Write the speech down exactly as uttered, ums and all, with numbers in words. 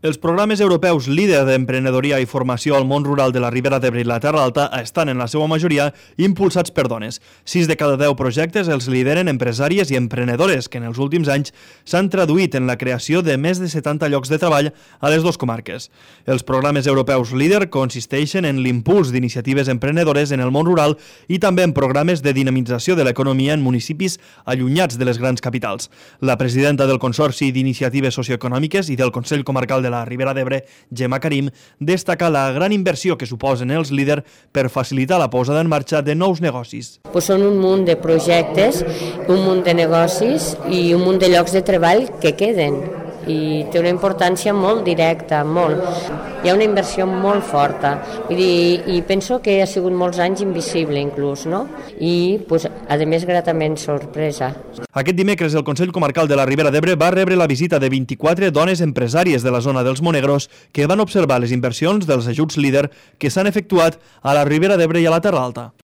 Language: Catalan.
Els programes europeus líder d'emprenedoria i formació al món rural de la Ribera d'Ebre i la Terra Alta estan en la seva majoria impulsats per dones. Sis de cada deu projectes els lideren empresàries i emprenedores que en els últims anys s'han traduït en la creació de més de setanta llocs de treball a les dues comarques. Els programes europeus líder consisteixen en l'impuls d'iniciatives emprenedores en el món rural i també en programes de dinamització de l'economia en municipis allunyats de les grans capitals. La presidenta del Consorci d'Iniciatives Socioeconòmiques i del Consell Comarcal de la Ribera d'Ebre, Gemma Karim, destaca la gran inversió que suposen els líders per facilitar la posada en marxa de nous negocis. Pues són un munt de projectes, un munt de negocis i un munt de llocs de treball que queden i té una importància molt directa, molt. Hi ha una inversió molt forta, vull dir, i penso que ha sigut molts anys invisible inclús, no? I, pues, a més, gratament sorpresa. Aquest dimecres el Consell Comarcal de la Ribera d'Ebre va rebre la visita de vint-i-quatre dones empresàries de la zona dels Monegros que van observar les inversions dels ajuts líder que s'han efectuat a la Ribera d'Ebre i a la Terra Alta.